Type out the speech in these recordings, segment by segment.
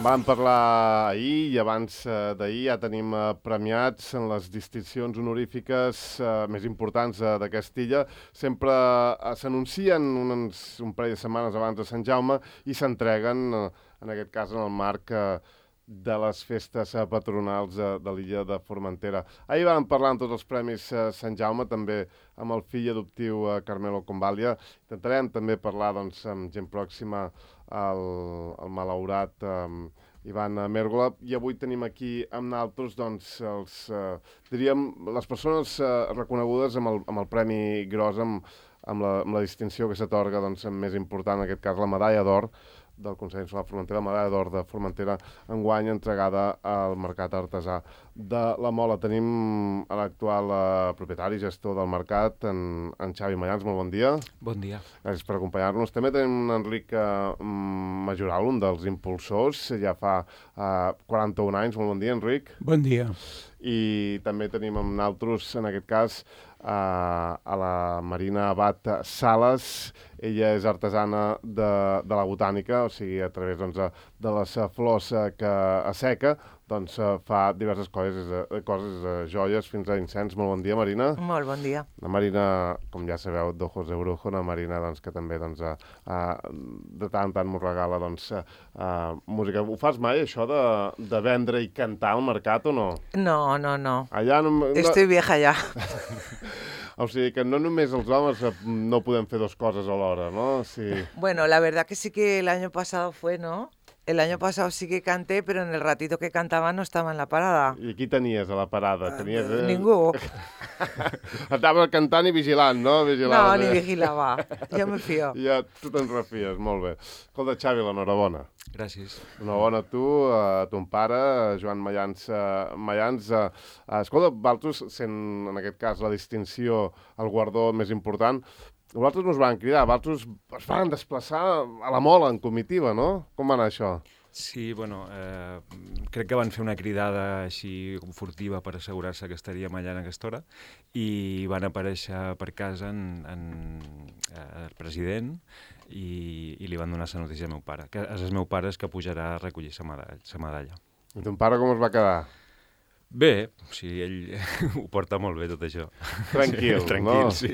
Vam parlar ahir i abans d'ahir ja tenim premiats en les distincions honorífiques més importants de Castilla. Sempre s'anuncien un parell de setmanes abans de Sant Jaume i s'entreguen, en aquest cas, en el marc de les festes patronals de l'illa de Formentera. Ahir vam parlar amb tots els premis Sant Jaume, també amb el fill adoptiu Carmelo Convalia. Intentarem també parlar amb gent pròxima al malaurat Ivan Mérgola, i avui tenim aquí amb naltros diríem, les persones reconegudes amb el Premi Gros, amb la distinció que s'atorga més important, en aquest cas la medalla d'or del Consell Nacional de Formentera, la medalla d'or de Formentera, enguany entregada al mercat artesà de la Mola. Tenim l'actual propietari i gestor del mercat, en Xavi Mayans. Molt bon dia. Bon dia. Gràcies per acompanyar-nos. També tenim en Enric Majoral, un dels impulsors, ja fa 41 anys. Molt bon dia, Enric. Bon dia. I també tenim amb naltros, en aquest cas, a la Marina Abad Sales. Ella és artesana de la botànica, o sigui, a través de les flors que asseca, fa diverses coses, joies fins a incens. Molt bon dia, Marina. Molt bon dia. La Marina, com ja sabeu, d'Ojos de Brujo, una Marina que també de tant en tant m'ho regala música. Ho fas mai, això de vendre i cantar al mercat, o no? No. Allà no... Estoy vieja ya. O sigui que no només els homes no podem fer dos coses alhora, ¿no? Sí. Bueno, la verdad que sí que el año pasado fue, ¿no? El año pasado sí que canté, pero en el ratito que cantaba no estava en la parada. I qui tenies a la parada? Ningú. Estava cantant i vigilant, no? No, ni vigilava. Jo me fio. Ja tu te'n refies, molt bé. Escolta, Xavi, l'enhorabona. Gràcies. Enhorabona a tu, a ton pare, Joan Mayans. Escolta, vosaltres, sent en aquest cas la distinció, el guardó més important, vosaltres no us van cridar, vosaltres es van desplaçar a la Mola en comitiva, no? Com va anar això? Sí, bueno, crec que van fer una cridada així furtiva per assegurar-se que estaríem allà en aquesta hora i van aparèixer per casa el president i li van donar la notícia al meu pare, que és el meu pare que pujarà a recollir sa medalla. I ton pare com es va quedar? Bé, o sigui, ell ho porta molt bé tot això. Tranquil, sí, tranquil, no? Sí.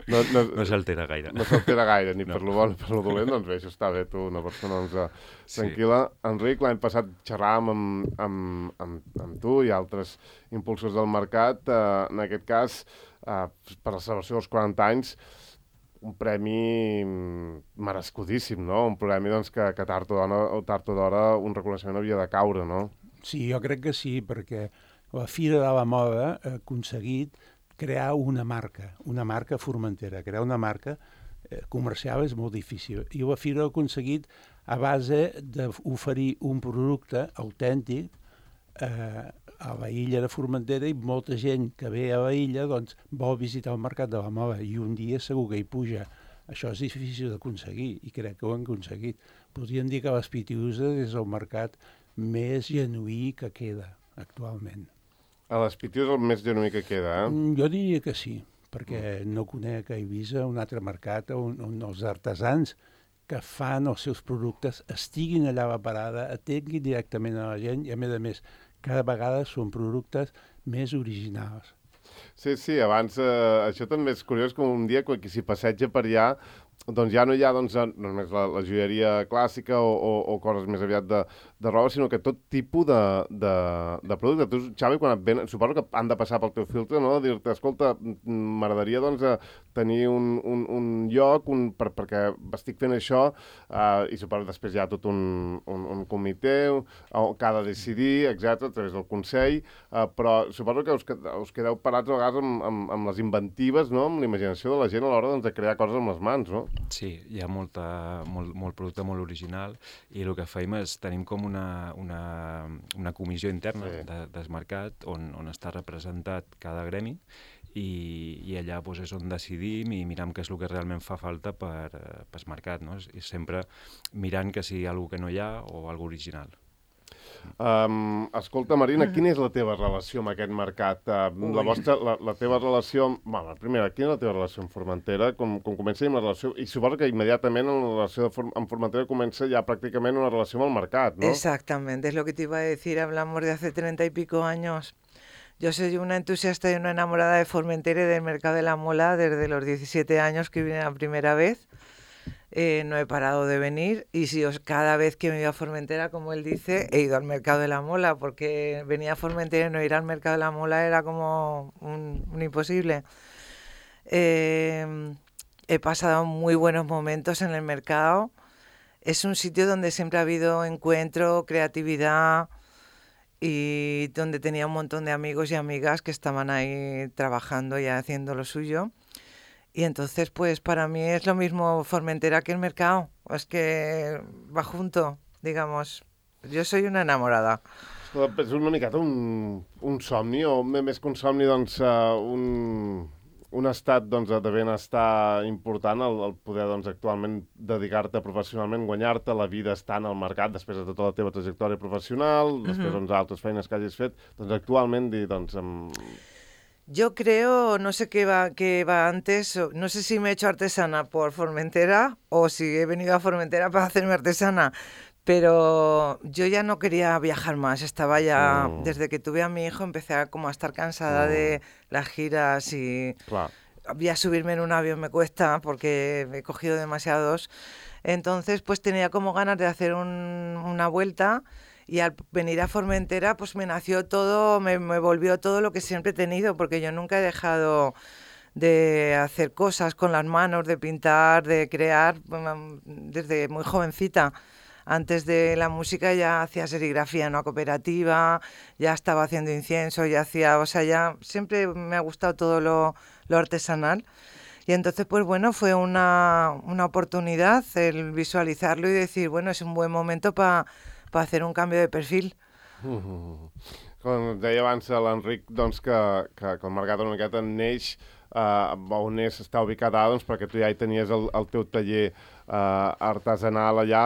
No s'altera gaire. No s'altera gaire, ni per lo bon ni per lo dolent, doncs bé, això està bé, tu, una persona tranquil·la. Sí. Enric, l'any passat xerràvem amb tu i altres impulsors del mercat, en aquest cas, per la celebració dels 40 anys, un premi merescudíssim, no? Un premi que tard o d'hora un reconeixement havia de caure, no? Sí, jo crec que sí, perquè la Fira de la Moda ha aconseguit crear una marca Formentera. Crear una marca comercial és molt difícil. I la Fira ha aconseguit a base d'oferir un producte autèntic a la illa de Formentera, i molta gent que ve a la illa vol visitar el mercat de la Moda i un dia segur que hi puja. Això és difícil d'aconseguir i crec que ho han aconseguit. Podríem dir que les Pitiuses és el mercat més genuí que queda actualment. A les Pitiuses el més genuí que queda, eh? Jo diria que sí, perquè no conec a Eivissa un altre mercat on els artesans que fan els seus productes estiguin allà a la parada, atenguin directament a la gent i, a més, cada vegada són productes més originals. Sí, abans això també és curiós, com un dia quan s'hi passeja per allà, doncs ja no hi ha només la joieria clàssica o coses més aviat de roba, sinó que tot tipus de producte. Tu, Xavi, quan et ven, suposo que han de passar pel teu filtre, no? Dir-te, escolta, m'agradaria tenir un lloc perquè estic fent això, i suposo que després hi ha tot un comitè que ha de decidir, etc, a través del Consell, però suposo que us quedeu parats a vegades amb les inventives, no? Amb la imaginació de la gent a l'hora de crear coses amb les mans, no? Sí, hi ha molt producte molt original i el que fem és tenim com una comissió interna del mercat on està representat cada gremi i allà és on decidim i miram què és el que realment fa falta pel mercat, no? I sempre mirant que sigui alguna que no hi ha o alguna original. Escolta, Marina, quina és la teva relació amb aquest mercat? La teva relació... Bueno, primera, quina és la teva relació amb Formentera? Com comença amb la relació... I suposo que immediatament la relació amb Formentera comença ja pràcticament una relació amb el mercat, ¿no? Exactamente, es lo que te iba a decir. Hablamos de hace 30 y pico años. Yo soy una entusiasta y una enamorada de Formentera y del mercado de la mola desde los 17 años que vine la primera vez. No he parado de venir y cada vez que me iba a Formentera, como él dice, he ido al mercado de la mola, porque venía a Formentera y no ir al mercado de la mola era como un imposible. He pasado muy buenos momentos en el mercado. Es un sitio donde siempre ha habido encuentro, creatividad y donde tenía un montón de amigos y amigas que estaban ahí trabajando y haciendo lo suyo. Y entonces, pues para mí es lo mismo Formentera que el mercado. Es que va junto, digamos. Jo soy una enamorada. És una miqueta un somni, o més que un somni, doncs, un estat doncs, de benestar important, el poder doncs, actualment dedicar-te professionalment, guanyar-te la vida estant al mercat després de tota la teva trajectòria professional, després doncs, altres feines que hagis fet, doncs actualment dir, doncs... Yo creo, no sé qué va antes, no sé si me he hecho artesana por Formentera o si he venido a Formentera para hacerme artesana, pero yo ya no quería viajar más, estaba ya, desde que tuve a mi hijo empecé a estar cansada de las giras y ya subirme en un avión me cuesta porque he cogido demasiados, entonces pues tenía como ganas de hacer una vuelta. Y al venir a Formentera, pues me nació todo, me volvió todo lo que siempre he tenido, porque yo nunca he dejado de hacer cosas con las manos, de pintar, de crear, desde muy jovencita. Antes de la música ya hacía serigrafía en una cooperativa, ya estaba haciendo incienso, ya siempre me ha gustado todo lo artesanal. Y entonces, pues bueno, fue una oportunidad el visualizarlo y decir, bueno, es un buen momento para hacer un canvi de perfil. Com deia abans l'Enric, doncs, que el mercat una miqueta neix on està ubicat ara, doncs, perquè tu ja hi tenies el teu taller artesanal allà.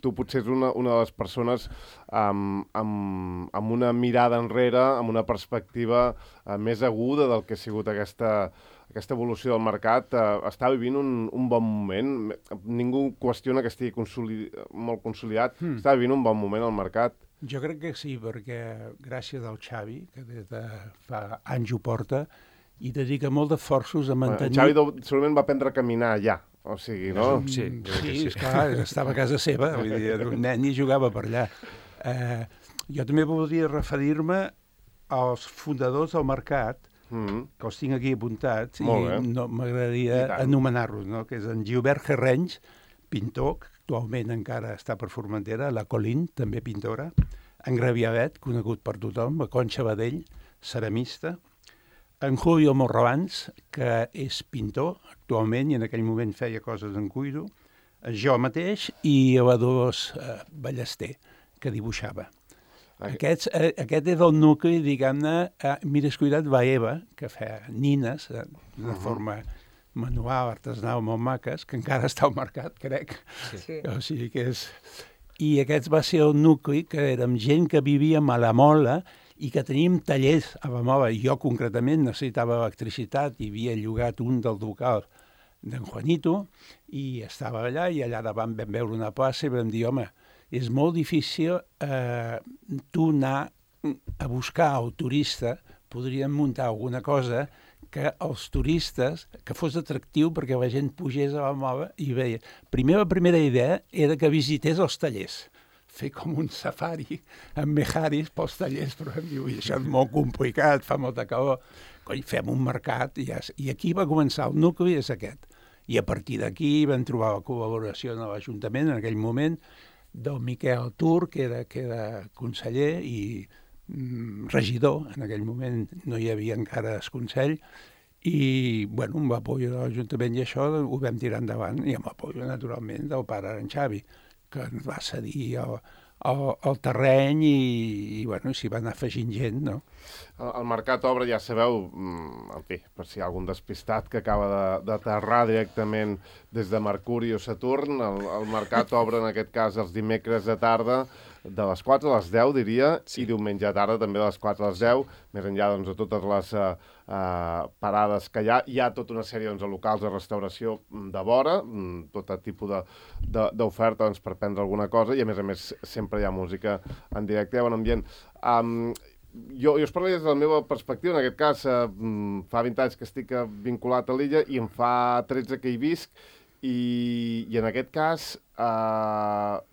Tu potser ets una de les persones amb una mirada enrere, amb una perspectiva més aguda del que ha sigut aquesta evolució del mercat. Està vivint un bon moment. Ningú qüestiona que estigui molt consolidat. Està vivint un bon moment al mercat. Jo crec que sí, perquè gràcies al Xavi, que des de fa anys ho porta, i dedica molt d'esforços a mantenir... El Xavi segurament va aprendre a caminar allà, o sigui, no? Sí, esclar, estava a casa seva, vull dir, era un nen i jugava per allà. Jo també voldria referir-me als fundadors del mercat, que els tinc aquí apuntats, i no m'agradaria anomenar-los, no? Que és en Gilbert Herrenys, pintor, que actualment encara està per Formentera, la Colín, també pintora, en Graviavet, conegut per tothom, la Conxa Badell, ceramista, en Julio Morrabans, que és pintor actualment i en aquell moment feia coses en cuiro, jo mateix i a Dolors Ballester, que dibuixava. Aquest és el nucli, diguem-ne, mires cuidat Baeva, que fa nines d'una forma manual, artesanal, molt maques, que encara està al mercat, crec. Sí. O sigui que és... I aquest va ser el nucli, que érem gent que vivíem a la Mola i que teníem tallers a la Mola. Jo, concretament, necessitava electricitat i havia llogat un del local d'en Juanito i estava allà i allà davant vam veure una plaça i vam dir, home, és molt difícil tu anar a buscar el turista, podríem muntar alguna cosa que els turistes, que fos atractiu perquè la gent pugés a la Mola i veia. La primera idea era que visités els tallers, fer com un safari amb mejaris pels tallers, però em diu, això és molt complicat, fa molta calor. Coi, fem un mercat i aquí va començar el nucli, és aquest. I a partir d'aquí vam trobar la col·laboració de l'Ajuntament en aquell moment, del Miquel Tur, que era conseller i regidor, en aquell moment no hi havia encara el Consell, i, bueno, amb l'apoyo de l'Ajuntament i això ho vam tirar endavant, i amb l'apoyo, naturalment, del pare en Xavi, que ens va cedir el terreny i bueno, s'hi va anar afegint gent, no? El mercat obre, ja sabeu, en fi, per si hi ha algun despistat que acaba d'aterrar directament des de Mercuri o Saturn, el mercat obre en aquest cas els dimecres de tarda de les 4 a les 10, diria, Sí. i diumenge a tarda també de les 4 a les 10, més enllà doncs, de totes les parades que hi ha tota una sèrie doncs, de locals de restauració de vora, tot tipus d'oferta doncs, per prendre alguna cosa, i a més sempre hi ha música en directe i bon ambient. Jo us parlo des de la meva perspectiva, en aquest cas fa 20 anys que estic vinculat a l'illa i em fa 13 que hi visc, i en aquest cas,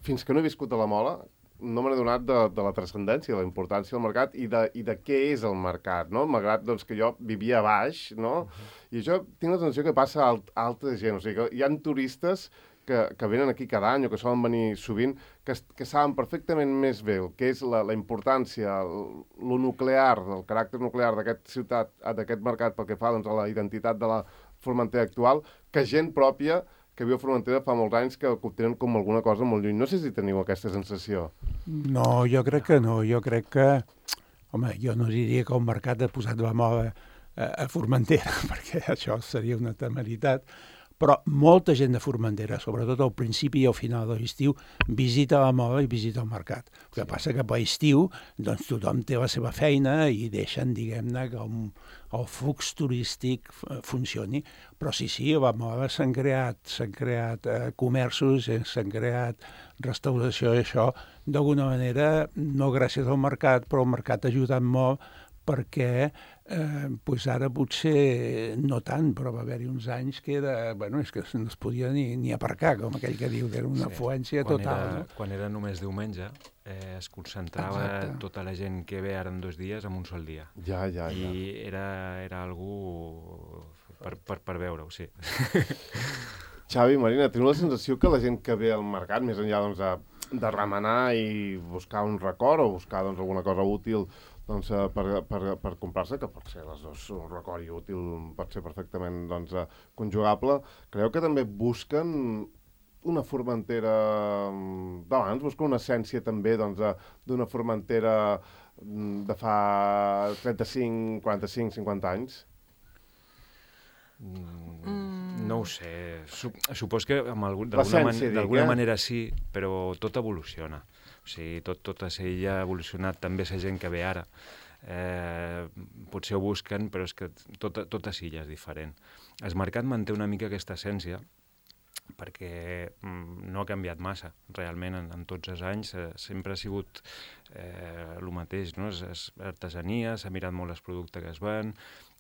fins que no he viscut a la Mola, no me n'he donat de la transcendència, de la importància del mercat i de què és el mercat, no? Malgrat doncs, que jo vivia a baix, no? I això tinc la sensació que passa a altra gent, o sigui que hi ha turistes que venen aquí cada any o que solen venir sovint, que saben perfectament més bé el que és la importància, lo nuclear, el caràcter nuclear d'aquesta ciutat, d'aquest mercat pel que fa doncs, a la identitat de la Formentera actual, que gent pròpia que viu a Formentera fa molts anys que ho tenen com alguna cosa molt lluny. No sé si teniu aquesta sensació. No, jo crec que no. Jo crec que... Home, jo no diria que el mercat ha posat la moda a Formentera, perquè això seria una temeritat, però molta gent de Formentera, sobretot al principi i al final de l'estiu, visita la moda i visita el mercat. El que passa que per estiu doncs, tothom té la seva feina i deixen, diguem-ne, que el flux turístic funcioni. Però sí, a la moda s'han creat comerços, s'han creat restauració i això, d'alguna manera, no gràcies al mercat, però el mercat ha ajudat molt perquè ara potser no tant, però va haver-hi uns anys que era, és que no es podia ni aparcar, com aquell que diu, que era una afluència total. Quan era només diumenge, es concentrava tota la gent que ve ara en 2 dies en un sol dia. Ja. I era algú per veure-ho, sí. Xavi, Marina, teniu la sensació que la gent que ve al mercat, més enllà doncs, de remenar i buscar un record o buscar doncs, alguna cosa útil doncs, per comprar-se, que pot ser les dues, un record i útil pot ser perfectament doncs, conjugable, creieu que també busquen una Formentera d'abans, busquen una essència també doncs, d'una Formentera de fa 35, 45, 50 anys? No ho sé. Supos que d'alguna manera sí, però tot evoluciona. O sigui, tot a Sella ha evolucionat, també la gent que ve ara. Potser ho busquen, però és que tot a Sella és diferent. El mercat manté una mica aquesta essència, perquè no ha canviat massa, realment, en tots els anys. Sempre ha sigut el mateix, no? És artesania, s'ha mirat molt el producte que es ven,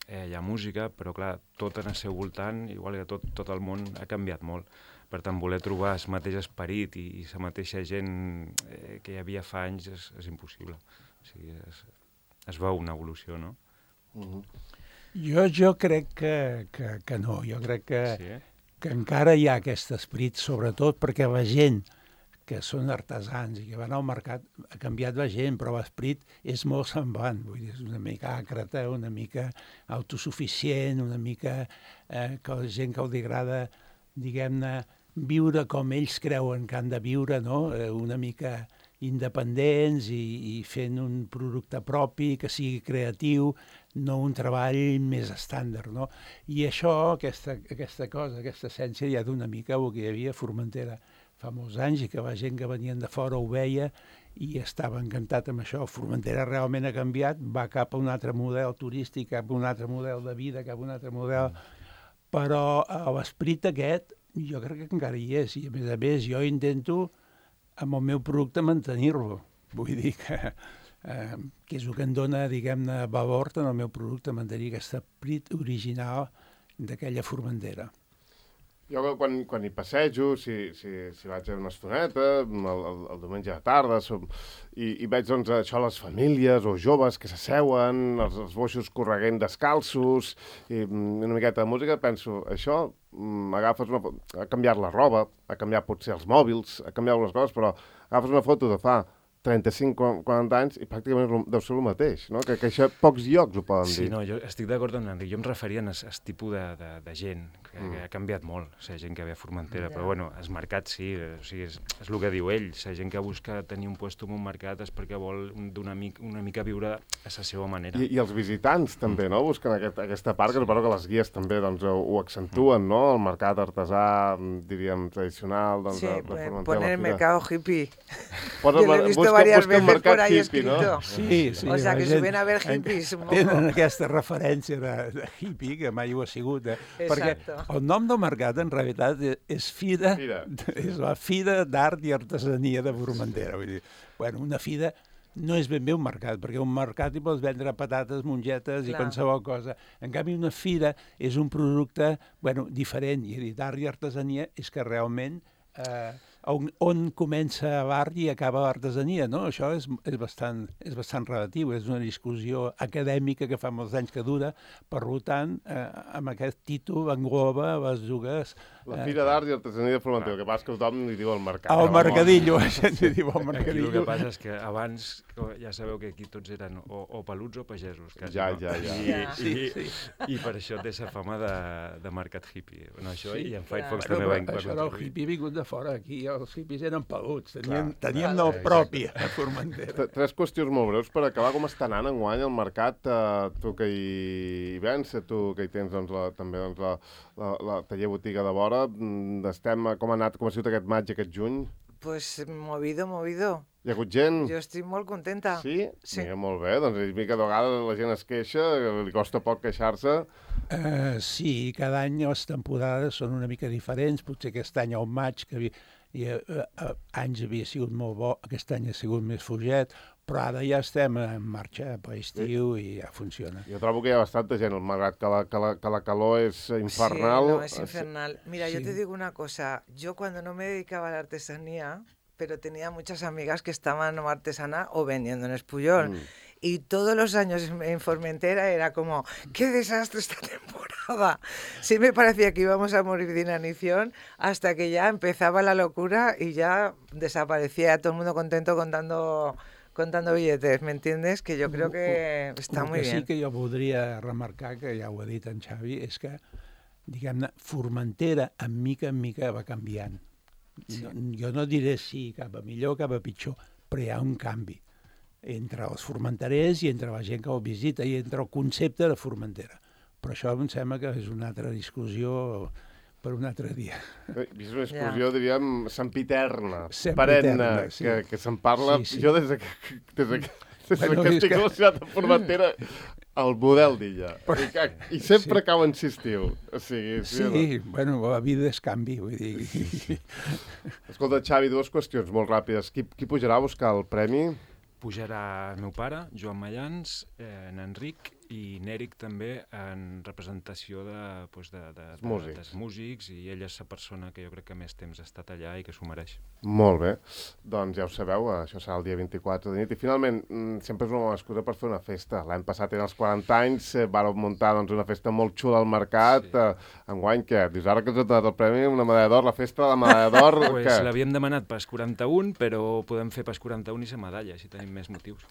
hi ha música, però clar, tot en el seu voltant, igual que tot el món, ha canviat molt. Per tant, voler trobar el mateix esperit i la mateixa gent que hi havia fa anys és impossible. O sigui, es veu una evolució, no? Jo crec que no. Jo crec que encara hi ha aquest esperit, sobretot perquè la gent que són artesans i que van al mercat, ha canviat la gent, però l'esperit és molt semblant. Vull dir, és una mica àcrata, una mica autosuficient, una mica que la gent que els agrada, diguem-ne, viure com ells creuen que han de viure, no? Una mica independents i fent un producte propi, que sigui creatiu, no un treball més estàndard, no? I això, aquesta cosa, aquesta essència, ja d'una mica el que hi havia a Formentera fa molts anys i que la gent que venien de fora ho veia i estava encantat amb això. Formentera realment ha canviat, va cap a un altre model turístic, cap a un altre model de vida, cap a un altre model... Però l'esperit aquest jo crec que encara hi és i a més jo intento amb el meu producte mantenir-lo. Vull dir que és el que em dona, diguem-ne, valor en el meu producte, mantenir aquest esperit original d'aquella Formentera. Jo quan hi passejo, si vaig a una estoneta, el diumenge a tarda, i veig doncs, això, les famílies o joves que s'asseuen, els boixos correguent descalços, i una miqueta de música, penso, això agafes ha canviat la roba, ha canviat potser els mòbils, ha canviat algunes coses, però agafes una foto de fa 35-40 anys i pràcticament deu ser el mateix, no? Que això pocs llocs ho poden dir. Sí, no, jo estic d'acord amb l'Enric. Jo em referia a aquest tipus de gent, que ha canviat molt, la gent que ve a Formentera, però bueno, el mercat sí, o sigui, és el que diu ell, la gent que busca tenir un lloc en un mercat és perquè vol una mica viure a la seva manera. I els visitants també, no? Busquen aquesta part, que suposo que les guies també doncs, ho accentuen, no? El mercat artesà, diríem, tradicional, doncs, sí, de Formentera. Poner el mercado hippie. Posa leído varias busca el veces por mercat ahí hippie, ¿no? escrito. Sí, sí. O sea, la que gent suben a ver hippies. Tenen aquesta referència de hippie, que mai ho ha sigut. Perquè Exacto. el nom del mercat, en realitat, és fira, és la Fira d'Art i Artesania de Formentera. Vull dir, bueno, una fira no és ben bé un mercat, perquè un mercat hi pots vendre patates, mongetes i Clar. qualsevol cosa. En canvi, una fira és un producte diferent, i d'art i artesania és que realment on comença l'art i acaba l'artesania, no? Això és bastant relatiu, és una discussió acadèmica que fa molts anys que dura, per tant, amb aquest títol engloba les dues... La Fira d'Art i Artesania de Formentera, el que passa que tothom li diu el mercat. El mercadillo, la gent li diu el Aquí mercadillo. el que passa és que abans, ja sabeu que aquí tots eren o peluts o pagesos. Quasi, Ja. I per això té sa fama de mercat hippie. No, això, Sí, i en Firefox Bueno, també va això del introduir. hippie vingut de fora. Aquí els hippies eren peluts, Clar. teníem nom propi a Formentera. Tres qüestions molt breus per acabar. Com està anant enguany el mercat? Tu que hi vens, tu que hi tens també la taller botiga de vora, com ha sigut aquest maig, aquest juny? Pues movido. Hi ha hagut gent? Jo estic molt contenta. Sí? Sí. Mira, molt bé. Doncs és mica de vegades la gent es queixa, li costa poc queixar-se. Sí, cada any les temporades són una mica diferents. Potser aquest any al maig, que anys havia sigut molt bo, aquest any ha sigut més fuget, però ara ja estem en marxa per estiu i ja funciona. Jo trobo que hi ha bastanta gent, malgrat que la calor és infernal. Sí, no, es infernal. Mira, yo Sí. te digo una cosa. Yo cuando no me dedicaba a la artesanía, pero tenía muchas amigas que estaban o artesana o vendiendo en Espuyol. Y todos los años en Formentera era como, ¡qué desastre esta temporada! Sí me parecía que íbamos a morir de inanición hasta que ya empezaba la locura y ya desaparecía todo el mundo contento contando billetes, ¿me entiendes? Que yo creo que està muy bien. El que sí que jo voldria remarcar, que ja ho ha dit en Xavi, és que, diguem-ne, Formentera, en mica va canviant. Sí. Jo no diré si cap a millor o cap a pitjor, però hi ha un canvi entre els formenterers i entre la gent que ho visita i entre el concepte de Formentera. Però això em sembla que és una altra discussió per un altre dia. És una discussió, diríem, sempiterna, Sempiterna, perenne, sí. que se'n parla. Sí. Jo des que estic relacionat amb Formentera, el model d'illa. I sempre cau en si estiu. O sigui, sí, bueno, la vida és canvi, vull dir. Escolta, Xavi, dues qüestions molt ràpides. Qui pujarà a buscar el premi? Pujarà el meu pare, Joan Mallans, en Enric i n'Eric també en representació dels músics, i ell és la persona que jo crec que més temps ha estat allà i que s'ho mereix. Molt bé. Doncs ja ho sabeu, això serà el dia 24 de nit. I finalment, sempre és una bona excusa per fer una festa. L'any passat eren els 40 anys, vàreu muntar una festa molt xula al mercat. Enguany, què? Dius, ara que ens ha donat el premi, una medalla d'or, la festa de la medalla d'or... Pues l'havíem demanat pels 41, però podem fer pels 41 i la medalla, si tenim més motius.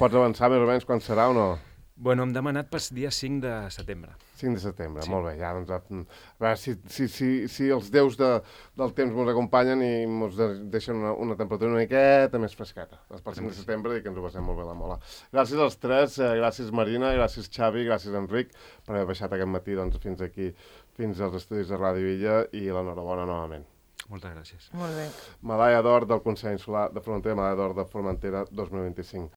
Pots avançar més o menys quan serà o no? Bueno, hem demanat pel dia 5 de setembre. 5 de setembre, sí. Molt bé. Ja, doncs, a veure si els déus del temps ens acompanyen i ens deixen una temperatura una miqueta més fresqueta. Per 5 de setembre i que ens ho passem molt bé a la mola. Gràcies als tres, gràcies Marina, gràcies Xavi, gràcies Enric, per haver baixat aquest matí fins aquí, fins als estudis de Ràdio Illa, i l'enhorabona novament. Moltes gràcies. Molt bé. Medalla d'or del Consell Insular de Formentera, medalla d'or de Formentera 2025.